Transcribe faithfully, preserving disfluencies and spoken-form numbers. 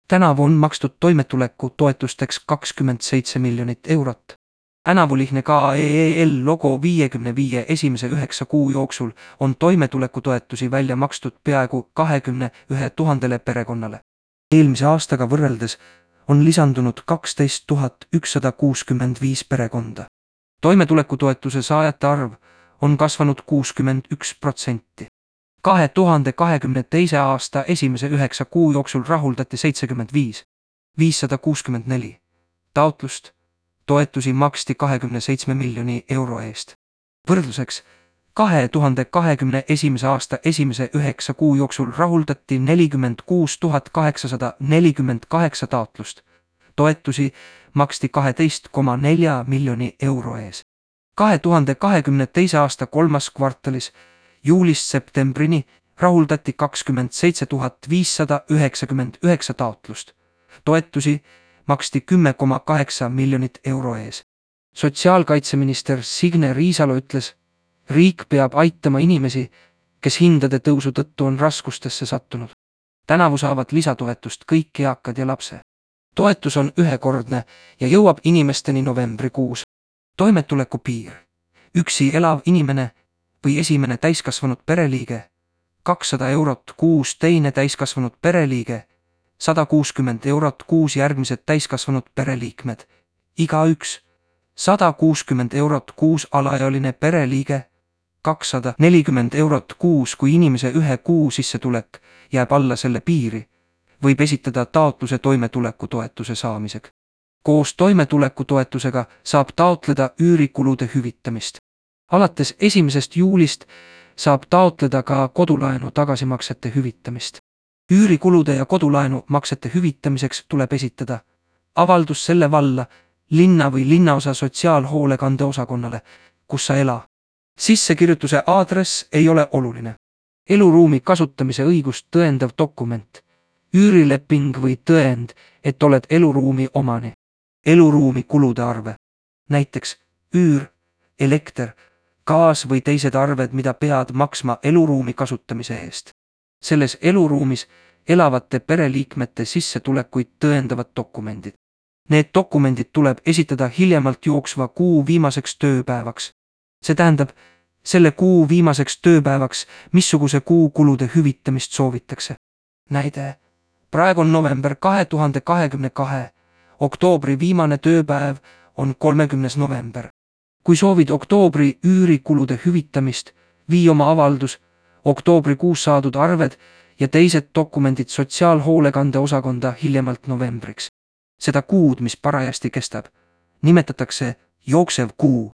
Tänavu on makstud toimetuleku toetusteks kakskümmend seitse miljonit eurot. Tänavulihne K E E L logo viiekümne viie esimese üheksa kuu jooksul on toimetuleku toetusi välja makstud peaaegu kahekümne ühe tuhandele perekonnale. Eelmise aastaga võrreldes on lisandunud kaksteist tuhat ükssada kuuskümmend viis perekonda. Toimetuleku toetuse saajate arv on kasvanud kuuskümmend üks protsenti. kahe tuhande kahekümne teise aasta esimese üheksa kuu jooksul rahuldati seitsekümmend viis tuhat viissada kuuskümmend neli taotlust. Toetusi maksti kahekümne seitsme miljoni euro eest. Võrdluseks, kahe tuhande kahekümne esimese aasta esimese üheksa kuu jooksul rahuldati nelikümmend kuus tuhat kaheksasada nelikümmend kaheksa taotlust. Toetusi maksti kaheteist koma nelja miljoni euro ees. kahe tuhande kahekümne teise aasta kolmas kvartalis juulist septembrini rahuldati kakskümmend seitse tuhat viissada üheksakümmend üheksa taotlust. Toetusi maksti kümme koma kaheksa miljonit euro ees. Sotsiaalkaitseminister Signe Riisalo ütles, riik peab aitama inimesi, kes hindade tõusu tõttu on raskustesse sattunud. Tänavu saavad lisatoetust kõik eakad ja lapse. Toetus on ühekordne ja jõuab inimesteni novembrikuus. Toimetuleku piir. Üksi elav inimene või esimene täiskasvanud pereliige, kakssada eurot kuus teine täiskasvanud pereliige, sada kuuskümmend eurot kuus järgmised täiskasvanud pereliikmed, igaüks, sada kuuskümmend eurot kuus alaealine pereliige, kakssada nelikümmend eurot kuus, kui inimese ühe kuu sissetulek jääb alla selle piiri, võib esitada taotluse toimetuleku toetuse saamiseks. Koos toimetuleku toetusega saab taotleda üürikulude hüvitamist. Alates esimesest juulist saab taotleda ka kodulaenu tagasimaksete hüvitamist. Üürikulude ja kodulaenu maksete hüvitamiseks tuleb esitada avaldus selle valla, linna või linnaosa sotsiaalhoolekande osakonnale, kus sa ela. Sissekirjutuse aadress ei ole oluline. Eluruumi kasutamise õigust tõendav dokument, üürileping või tõend, et oled eluruumi omani. Eluruumi kulude arve, näiteks üür, elekter, gaas või teised arved, mida pead maksma eluruumi kasutamise eest. Selles eluruumis elavate pereliikmete sissetulekuid tõendavad dokumendid. Need dokumendid tuleb esitada hiljemalt jooksva kuu viimaseks tööpäevaks. See tähendab, selle kuu viimaseks tööpäevaks, missuguse kuu kulude hüvitamist soovitakse. Näide, praegu on november kahe tuhande kahekümne kahe, oktoobri viimane tööpäev on kolmekümnes november. Kui soovid oktoobri üürikulude hüvitamist, vii oma avaldus, oktoobrikuus saadud arved ja teised dokumendid sotsiaalhoolekande osakonda hiljemalt novembriks. Seda kuud, mis parajasti kestab, nimetatakse jooksev kuu.